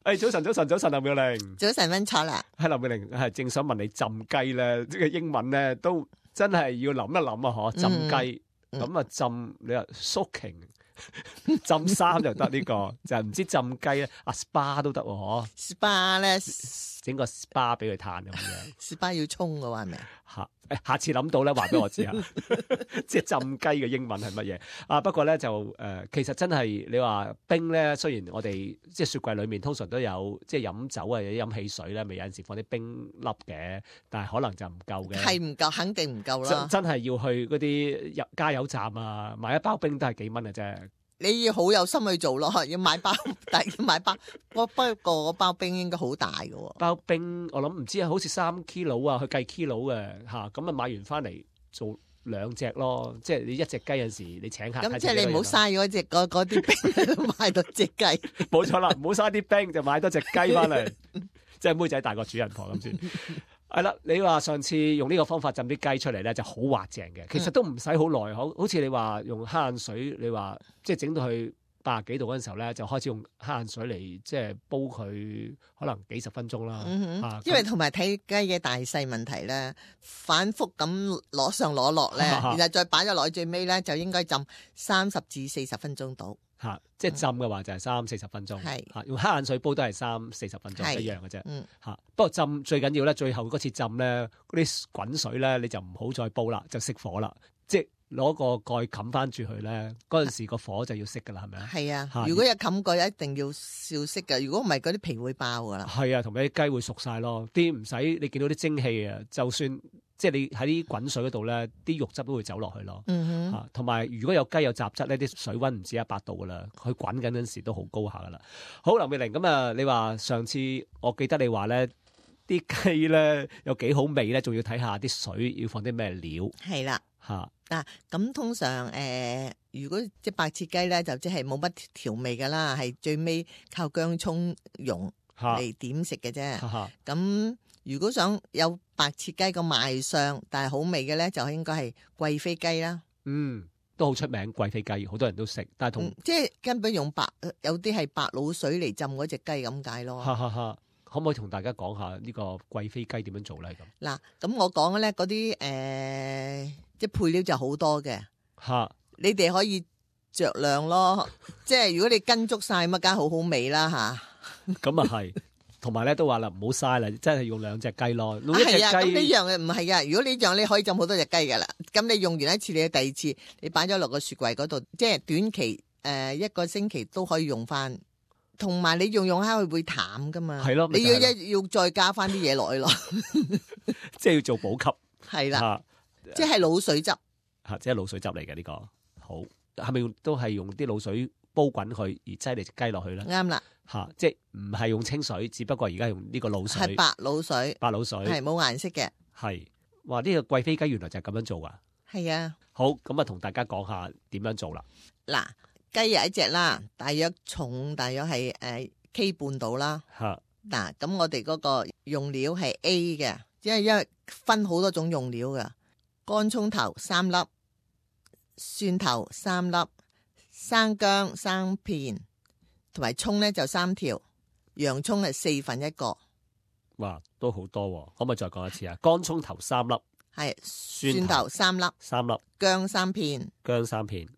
早晨，林妙玲。早晨，溫楚啦。係林妙玲，係正想問你浸雞咧，呢個英文咧都真係要諗一諗啊！嗬，浸雞咁啊，浸你話 soaking 浸衫就得呢個，就係唔知浸雞咧，SPA 都得喎，嗬。SPA 咧，整個 SPA 俾佢嘆咁樣。SPA 要沖嘅話係咪？下次諗到咧，話俾我知啊！即係浸雞嘅英文係乜嘢啊？不過咧就其實真係你話冰咧，雖然我哋即係雪櫃裏面通常都有即係飲酒啊，或者飲汽水咧，咪有陣時放啲冰粒嘅，但係可能就唔夠嘅。係唔夠，肯定唔夠啦。真係要去嗰啲加油站啊，買一包冰都係幾蚊嘅啫。你要好有心去做咯，要買包，但係要買包。不過嗰包冰應該好大嘅喎。包冰我諗唔知啊，好似3 kilo 啊，去計 kilo 嘅嚇，咁啊買完翻嚟做2隻咯，即係你一隻雞有陣時你請客。咁即係你唔好嘥嗰啲冰買到隻雞。冇錯啦，唔好嘥啲冰就買多隻雞翻嚟，即係妹仔大過主人婆咁先。係啦，你話上次用呢個方法浸啲雞出嚟咧，就好滑淨嘅。其實都唔使好耐，好似你話用黑眼水，你話即係整到去80幾度嗰陣時候咧，就開始用黑眼水嚟即係煲佢，可能幾十分鐘啦。因為同埋睇雞嘅大細問題咧，反覆咁攞上攞落咧，然後再擺咗落去最尾咧，就應該浸30至40分鐘到。即係浸嘅話就係30-40分鐘，用黑眼水煲都係30-40分鐘一樣嘅啫。不過浸最緊要咧，最後嗰次浸咧，嗰啲滾水咧，你就唔好再煲啦，就熄火啦。即係攞個蓋冚翻住佢咧，嗰陣時個火就要熄噶啦，係咪啊？係啊，如果有冚蓋，一定要熄㗎。如果唔係，嗰啲皮會爆噶啦。係啊，同埋啲雞會熟晒咯。啲唔使你見到啲蒸汽啊，就算即係你喺啲滾水嗰度咧，啲肉汁都會走落去咯。同埋如果有雞有雜質呢，啲水溫唔止100度噶啦，佢滾緊嗰陣時都好高下噶啦。好，林妙玲，咁啊，你話上次我記得你話咧，啲雞咧有幾好味咧，仲要睇下啲水要放啲咩料。係啦。咁通常如果即白切雞咧，就即係冇乜調味噶啦，係最尾靠薑葱蓉嚟點食嘅啫。咁如果想有白切雞個賣相但係好味嘅咧，就應該係貴妃雞啦。都好出名貴妃雞，好多人都食，但係即係根本用有啲係白滷水嚟浸嗰隻雞咁解咯。可唔可以同大家講下呢個貴妃雞點樣做咧？嗱，咁我講嘅咧嗰啲即係配料就好多嘅，你哋可以酌量咯。即係如果你跟足晒咁，梗係好好味啦吓。咁啊係，同埋咧都話啦，唔好嘥啦，真係用2隻雞咯。用一隻雞咁呢樣嘅唔係噶，如果呢樣你可以浸好多隻雞噶啦。咁你用完一次，你第二次你擺咗落個雪櫃嗰度，即係短期1個星期都可以用翻。同埋你用下佢會淡噶嘛？係咯，你要再加翻啲嘢落去咯。即係要做補給。係啦，即係滷水汁。即係滷水汁嚟嘅呢個。好，係咪都係用啲滷水煲滾佢而擠嚟隻雞落去咧？啱啦。即係唔係用清水，只不過而家用呢個滷水。係白滷水。白滷水。係冇顏色嘅。係。哇！呢個貴妃雞原來就係咁樣做噶。係啊。好，咁啊同大家講下點樣做啦。嗱。雞有一隻啦，大約係K 半到啦。嗱，咁我哋嗰個用料係 A 嘅，因為分好多種用料嘅。乾葱頭3粒，蒜頭3粒，生薑3片，同埋葱咧就3條，洋葱係1/4個。哇，都好多喎！可唔可以再講一次啊？乾葱頭3粒，係蒜頭3粒，薑3片，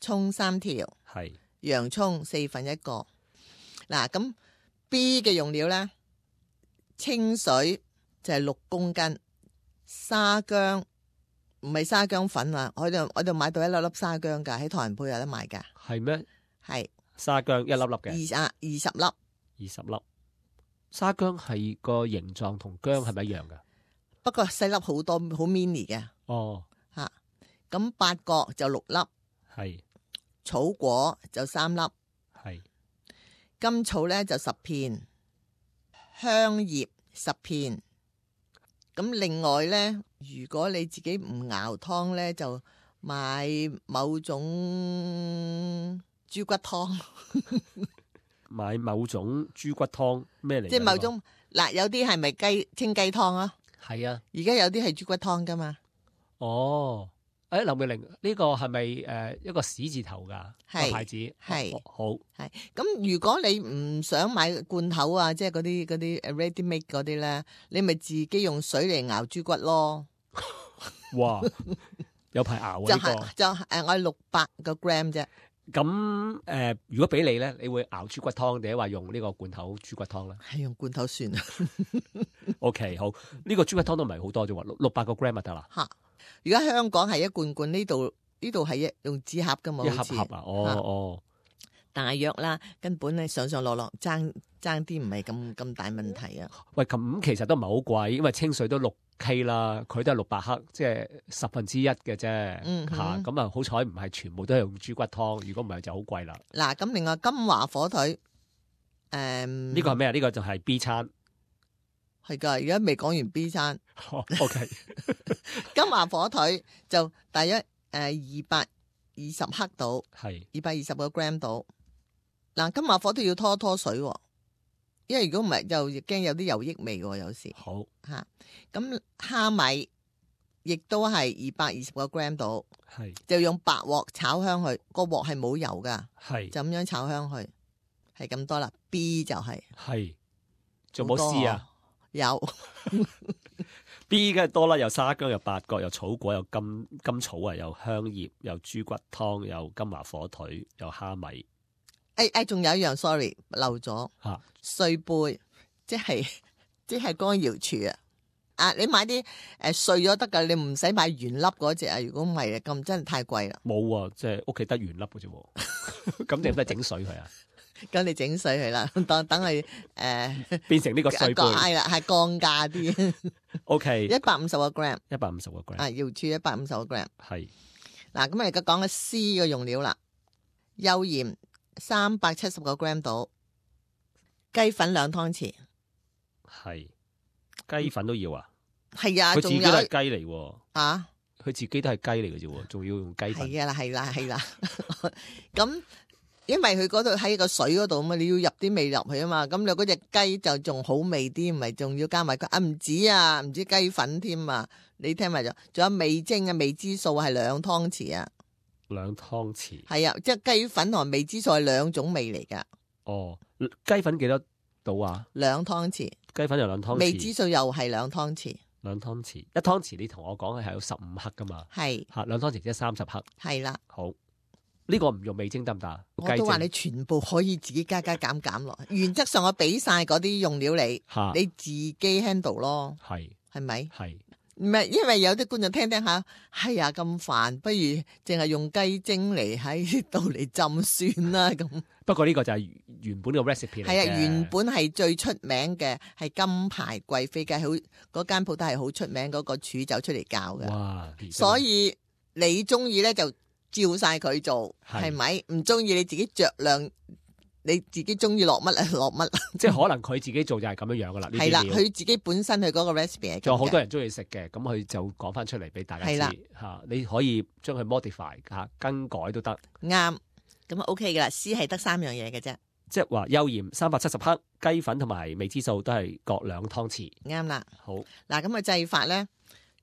葱3條，係。洋葱1/4個。嗱，咁 B 嘅用料咧，清水就係6公斤，沙薑唔係沙薑粉啊，我度買到一粒粒沙薑噶，喺唐人鋪有得賣噶。係咩？係沙薑一粒粒嘅。20粒。20粒。沙薑係個形狀同薑係咪一樣噶？不過細粒好多，好 mini 嘅。哦。咁八角就6粒。係。草果就3粒，係甘草咧就10片，香葉10片。咁另外咧，如果你自己唔熬湯咧，就買某種豬骨湯。買某種豬骨湯咩嚟？即係某種嗱，有啲係咪清雞湯啊？係啊，而家有啲係豬骨湯噶嘛。哦。劉妙玲呢個係咪一個史字頭㗎個牌子？係好係。咁如果你唔想買罐頭啊，即係嗰啲 ready make 嗰啲咧，你咪自己用水嚟熬豬骨咯。哇！有排熬啊！我係600個 gram 啫。咁如果俾你咧，你會熬豬骨湯定係話用呢個罐頭豬骨湯咧？係用罐頭算啦。OK， 好，呢個豬骨湯都唔係好多啫喎，600個 gram 就得啦。嚇！而家香港係一罐罐，呢度係用紙盒噶嘛，一盒盒啊，哦。大約啦，根本咧上落爭啲唔係咁大問題啊。喂，咁其實都唔係好貴，因為清水都6K 啦，佢都係600克，即係1/10嘅啫。咁啊，好彩唔係全部都係用豬骨湯，如果唔係就好貴啦。嗱，咁另外金華火腿，呢個係咩啊？呢個就係 B 餐，係噶，而家未講完 B 餐。OK， 金華火腿就大約220克到，係220個 gram 到。嗱，金華火腿要拖水，因為如果唔係就驚有啲油益味喎，有時。好嚇，咁蝦米亦都係220個 gram 到，係就用白鑊炒香佢，個鑊係冇油噶，係就咁樣炒香佢，係咁多啦。B 就係仲冇 C 啊？有B 梗係多啦，有沙姜，有八角，有草果，有甘草啊，有香葉，有豬骨湯，有金華火腿，有蝦米。仲有一樣 sorry 漏咗碎貝，即係乾瑤柱啊！你買啲碎咗得噶，你唔使買原粒嗰隻啊！如果唔係咁真係太貴啦。冇啊，即係屋企得原粒嘅啫，咁你唔使整水佢啊？咁你整水佢啦，等佢變成呢個碎貝，係啦，係降價啲。OK， 150個 gram， 150個 gram， 瑤柱150個 gram。係嗱，咁我而家講嘅 C 嘅用料啦，幼鹽370個 gram 到，雞粉2湯匙。係雞粉都要啊？係啊，佢自己都係雞嚟喎。啊，佢自己都係雞嚟嘅啫，仲要用雞粉。係啦。咁因為佢嗰度喺個水嗰度嘛，你要入啲味入去啊嘛。咁你嗰隻雞就仲好味啲，唔係仲要加埋唔止雞粉添啊！你聽埋咗，仲有味精啊，味之素係2湯匙啊。2湯匙係啊，即係雞粉同味之素係2種味嚟噶。哦，雞粉幾多度啊？2湯匙，雞粉又2湯匙，味之素又係2湯匙。2湯匙，1湯匙你同我講係有15克噶嘛？係吓，2湯匙即係30克。係啦，好，呢個唔用味精得唔得？我都話你全部可以自己加減落。原則上我俾晒嗰啲用料你自己 handle 咯。係咪？係。唔係，因為有啲觀眾聽下，係啊咁煩，不如淨係用雞精嚟喺度嚟浸算啦咁。不過呢個就係原本嘅 recipe 嚟嘅。係啊，原本係最出名嘅係金牌貴妃雞，好嗰間鋪頭係好出名，嗰個廚走出嚟教嘅。哇！所以你中意咧就照晒佢做，係咪？唔中意你自己酌量。你自己中意落乜啊落乜，即係可能佢自己做就係咁樣樣噶啦。係啦，佢自己本身佢嗰個 recipe 係。仲有好多人中意食嘅，咁佢就講翻出嚟俾大家知嚇。你可以將佢 modify 嚇，更改都得。啱，咁 OK 噶啦。C 係得3樣嘢嘅啫，即係話幼鹽370克，雞粉同埋味之素都係各2湯匙。啱啦。好嗱，咁嘅製法咧，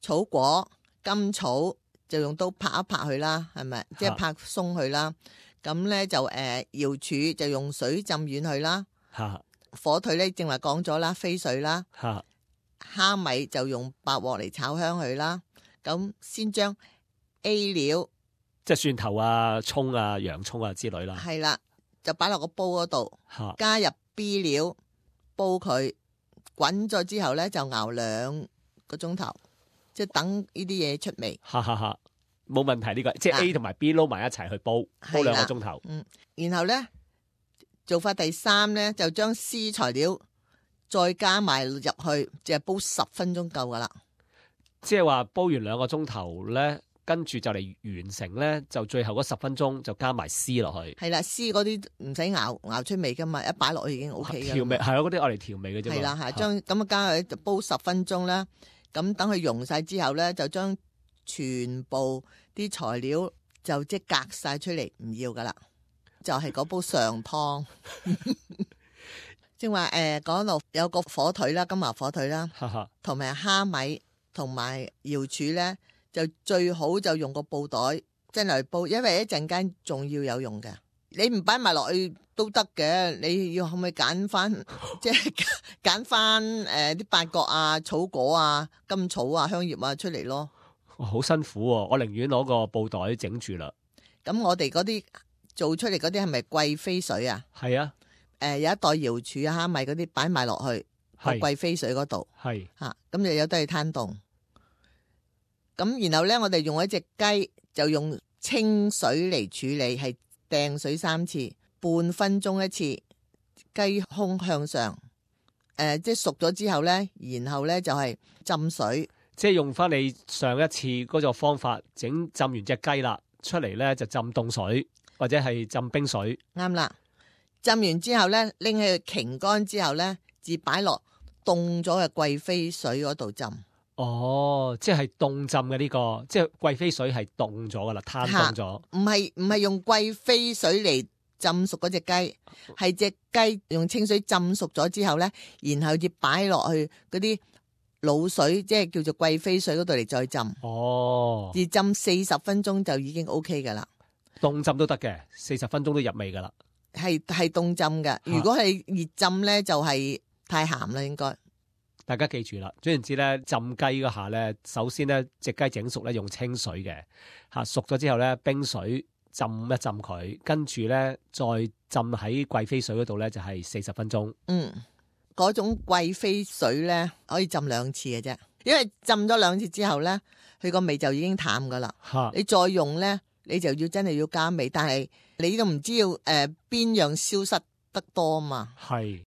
草果甘草就用刀拍一拍佢啦，係咪？即係拍鬆佢啦。咁咧就瑤柱就用水浸軟佢啦，火腿咧正話講咗啦，飛水啦，蝦米就用白鑊嚟炒香佢啦。咁先將 A 料，即係蒜頭啊、葱啊、洋葱啊之類啦，係啦，就擺落個煲嗰度，加入 B 料煲佢滾咗之後咧，就熬2個鐘頭，即係等呢啲嘢出味。冇問題，呢個即係 A 同埋 B 撈埋一齊去煲2個鐘頭。然後咧做法第3咧就將 C 材料再加埋入去，就係煲10分鐘夠噶啦。即係話煲完2個鐘頭咧，跟住就嚟完成咧，就最後嗰10分鐘就加埋 C 落去。係啦，C 嗰啲唔使熬出味噶嘛，一擺落去已經 OK 嘅。調味係嗰啲我嚟調味嘅啫。係啦，係將咁加去就煲10分鐘啦。咁等佢溶晒之後咧，就將全部啲材料就即隔晒出嚟，唔要噶啦，就係嗰煲上湯。正話講到有個火腿啦，金華火腿啦，同埋蝦米同埋瑤柱咧，就最好就用個布袋真係煲，因為一陣間仲要有用嘅。你唔擺埋落去都得嘅，你要可唔可以揀翻即係揀翻啲八角啊、草果啊、甘草啊、香葉啊出嚟咯。好辛苦喎，我寧願攞個布袋整住啦。咁我哋嗰啲做出嚟嗰啲係咪貴妃水啊？係啊，有一袋瑤柱啊、蝦米嗰啲擺埋落去個貴妃水嗰度，係嚇咁就有得去攤凍。咁然後咧，我哋用一隻雞就用清水嚟處理，係掟水3次，半分鐘一次，雞胸向上。即係熟咗之後咧，然後咧就係浸水。即係用翻你上一次嗰個方法浸完隻雞啦，出嚟咧就浸凍水或者係浸冰水。啱啦，浸完之後咧，拎起佢擎乾之後咧，至擺落凍咗嘅貴妃水嗰度浸。哦，即係凍浸嘅呢個，即係貴妃水係凍咗噶啦，攤凍咗。唔係用貴妃水嚟浸熟嗰隻雞，係隻雞用清水浸熟咗之後咧，然後至擺落去嗰啲滷水，即係叫做貴妃水嗰度嚟再浸。哦，而浸40分鐘就已經 OK 噶啦。凍浸都得嘅，40分鐘都入味噶啦。係凍浸嘅，如果係熱浸咧就係太鹹啦，應該。大家記住啦，總言之咧，浸雞嗰下咧，首先咧隻雞整熟咧用清水嘅，熟咗之後咧冰水浸一浸佢，跟住咧再浸喺貴妃水嗰度咧就係40分鐘。嗰種貴妃水咧可以浸2次嘅啫，因為浸咗2次之後咧，佢個味就已經淡噶啦。你再用咧，你就要真係要加味，但係你都唔知要邊樣消失得多嘛。係